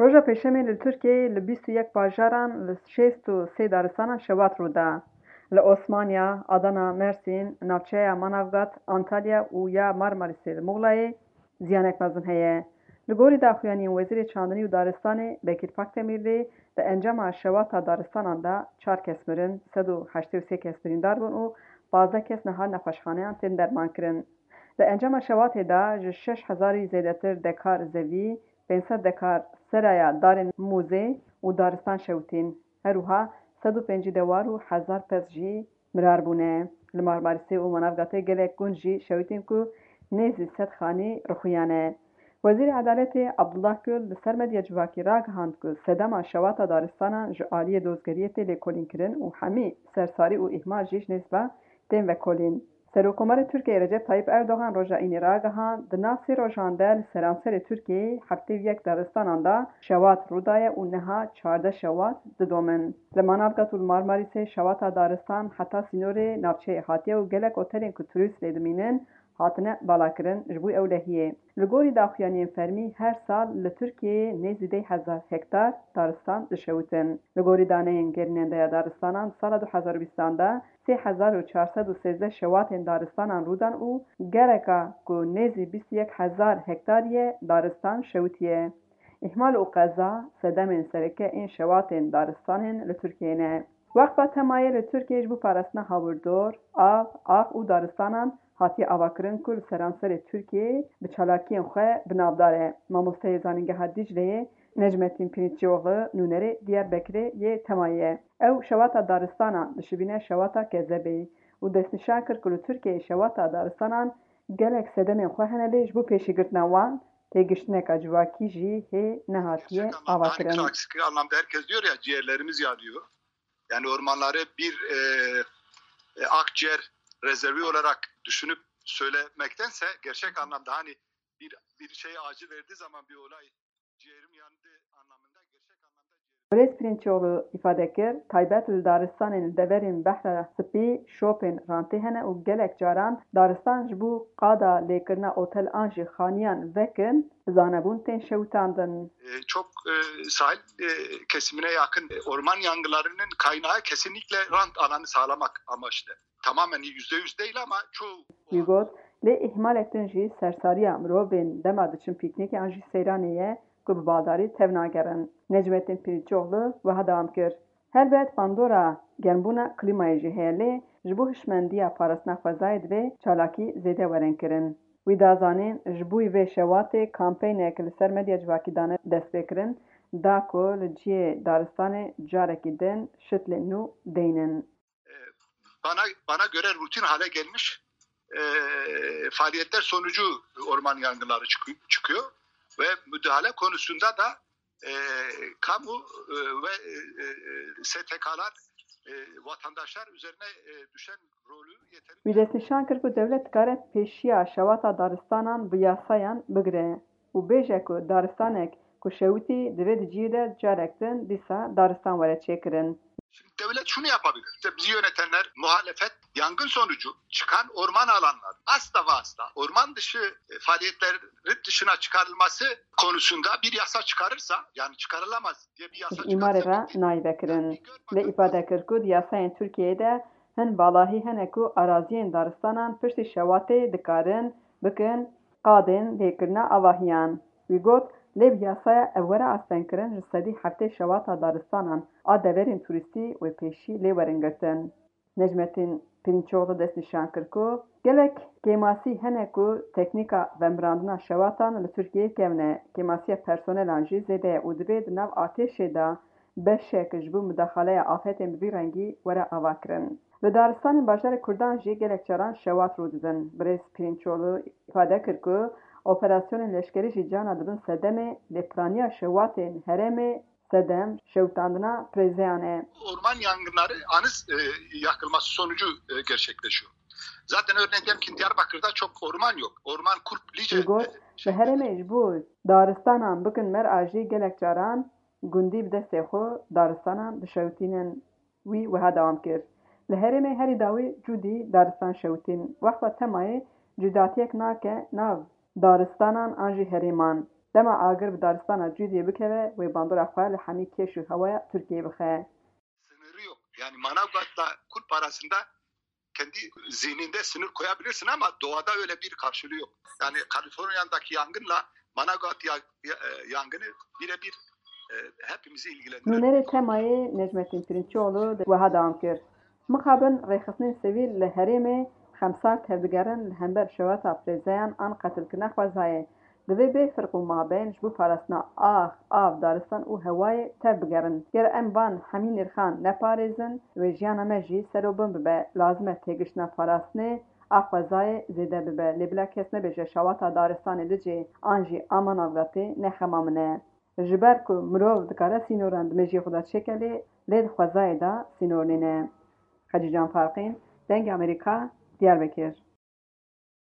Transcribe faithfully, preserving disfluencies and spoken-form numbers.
Roja Pêşemê li Tirkiyeyê li bîst û yek bajaran li şêst û sê daristanan şewat rû da. Li Osmaniya, Adana, Mersîn, navçeya Manavgat, Antalya û ya Marmarîsê li Muxlayê ziyanek mezin heye. Li gorî daxuyaniyên Wezîrê Çandinî û Daristanê Bekîr Pakdemirlî, di encama şewata daristanan de çar kes mirin, sed û heştê û sê kes birîndar bûn û pazdeh kes niha nexweşxaneyan tên dermankirin. Di encama şewatê de ji şeş hezarî zêdetir dekar zevî, pênc sed dekar seraya darên mûzê û daristan şewitîn. Her wiha sed û pêncî dewar û hezar pez jî mirar bûne. Li Marmarîsê û Manavgatê gelek gund jî şewitîn ku nêzî sed xanî rixuyane. Wezîrê Edaletê Abdullah Gül li ser medya civakî ragihand ku sedema şewata daristanan ji aliyê dozgeriyê tê lêkolînkirin û hemî sersarî û îhmal jî ji nêz ve tên vekolîn. Serokkomarê Tirkiyeyê Recep Tayyip Erdogan roja Înê ragihand, di nav sê rojan de li seranserê Tirkiyeyê heftê û yek daristanan de şewat rû daye û niha çardeh şewat didomin. Li Manavgat û li Marmarîsê şewata daristan heta sînorê navçeyê hatiye û gelek otelên ku turîst lê dimînin hatine valakirin ji bo ewlehiyê. Li gorî daxuyaniyên fermî, her sal li Tirkiyeyê nêzî deh hezar hektar daristan dişewitin. Li gorî daneyên gerînendeya daristanan, di sala du hezar û bîstan de sê hezar û çar sed û sêzdeh şewatên daristanan rû dan û gereka ku nêzî bîst û yek hezar hektarî ye daristan şewitiye. Îhmal û qeza sedemên sereke ên şewatên daristanên li Tirkiyeyê ne. Weqfa Temayê li Tirkiyeyê ji bo parastina hawirdor, av, ax û daristanan hatiye avakirin ku li seranserê Tirkiyeyê bi çalakiyên xwe bi navdar e. Mamosteyê Zanîngeha Dîcleyê Necmettin Pirinççioğlu nûnerê Diyarbekirê yê Temayê ye. Ew şewata daristanan dişibîne şewata kezebê û destnîşan kir ku li Tirkiyeyê şewata daristanan gelek sedemên xwe hene lê ji bo pêşîgirtina wan têgiştineka civakî jî hê nehatiye Gerçek anlamda, hani avakirin. Klasik anlamda herkes diyor ya, ciğerlerimiz yanıyor. Yani ormanları bir, e, e, akciğer rezervi olarak düşünüp söylemektense gerçek anlamda hani bir, bir şey acı verdiği zaman bir olay ciğerim yandı anlamında gerçek anlamda ciğerim Birêz Pirinçoğlu îfade kir, taybet li daristanên li deverên Behra Spî şopên rantê hene û gelek caran daristan ji bo qada lêkirina otel an jî xaniyan vekin, bi zanebûn tên şewitandin. E, çok, e, sahil, e, kesimine yakın, e, orman yangınlarının kaynağı kesinlikle rant alanı sağlamak amaçlı. Tamamen yüzde yüz değil ama çoğu. Wî got, lê îhmalek din jî sersariya mirovên dema diçin pîknîkê an jî seyranê ye ku bi baldarî tevnagerin. Necmettin Pirinçoğlu wiha dewam kir, Helbet bandora germbûna klîmayê jî heye lê ji bo hişmendiya parastina xwezayê divê çalakî zêde werin kirin. Wî da zanîn, ji bo vê şewatê kampeynek li ser medya civakî dane destpêkirin, da ku li cihê daristanê carekî din şitlên nû deynin. E, bana bana göre rutin hale gelmiş, e, faaliyetler sonucu orman yangınları çıkı- çıkıyor ve müdahale konusunda da, e, kamu, e, ve, e, e, S T K'lar, e, vatandaşlar üzerine, e, düşen rolü yeterince Wî destnîşan kir ku dewlet dikare pêşiya şewata daristanan bi yasayan bigire û bêje ku daristanek ku şewitî divê di cihê de carek din dîsa daristan were çêkirin. Şimdi devlet şunu yapabilir. İşte bizi yönetenler, muhalefet, yangın sonucu çıkan orman alanlar asla ve asla orman dışı, e, faaliyetlerin dışına çıkarılması konusunda bir yasa çıkarırsa, yani çıkarılamaz diye bir yasa Ji îmarê re çıkarsa, nayê vekirin. Lê îfade kir ku di yasayên Tirkiyeyê de hin valahî hene ku araziyên daristanan piştî şewatê dikarin bikin qadên lêkirina avahiyan. Wî got, lê bi yasaya ev were astengkirin, ji sedî heftê şewata daristanan a deverên turîstî wê pêşî lê werin girtin. Necmettin Pirinçoğlu destnîşan kir ku gelek kêmasî hene ku teknîka vemirandina şewatan li Tirkiyeyê kevn e, kêmasiya personelan jî zêde ye û divê di nav artêşê de beşek ji bo mudaxaleya afetên bi vî rengî were avakirin. Li daristanên bajarê Kurdan jî gelek caran şewat rû didin. Birêz Pirinçoğlu îfade kir ku operasyonên leşkerî jî carna dibin sedemê lêpiraniya şewatên herêmê sedem şewitandina pirêzeyan e. Orman yangınları anız, e, yakılması sonucu, e, gerçekleşiyor. Zaten örneğin diyelim ki Diyarbakır'da çok orman yok. Orman Kulp Lice Wî got, e, li herêmê ji bo daristanan bikin mer a jî gelek caran gundî bi destê xwe daristanan dişewitînin. Wî wiha dewam kir, Li herêmê herî dawî cûdî daristan şewitîn. Wexta temayê cudatiyek nake nav daristanan an jî herêman. Dema agir bi daristana Cûdiyê bikeve, wê bandora xwe li hemî kêş û hewaya Tirkiyeyê bixe. Sınırı yok. Yani Manavgat'la Kulp arasında kendi zihninde sınır koyabilirsin ama doğada öyle bir karşılığı yok. Yani Kaliforniya'daki yangınla Manavgat ya- ya- e, yangını birebir e, hepimizi ilgilendiriyor. Nûnerê temayê Necmettin Pirinççioğlu de wiha dewam kir. Mixabin rêxistinên sivîl li herêmê xemsar tevdigerin li hember şewata firêzeyan an qetilkirina xwezayê. Divê bê firq û mabeyn ji bo parastina ax, av, daristan û hewayê tev bigerin. Ger em van hemî nirxan neparêzin, wê jiyana me jî ser û bin bibe. Lazim e têgiştina parastinê a xwezayê zêde bibe. Lê bila kes nebêje şewata daristanê Licê an jî a Manavgatê ne xema min e. Ji ber ku mirov dikare sînoran di mejiyê xwe de çêke lê, lê di xwezayê de sînor nîne. Xecîcan Farqîn, Dengê Amerîka, Diyarbekir.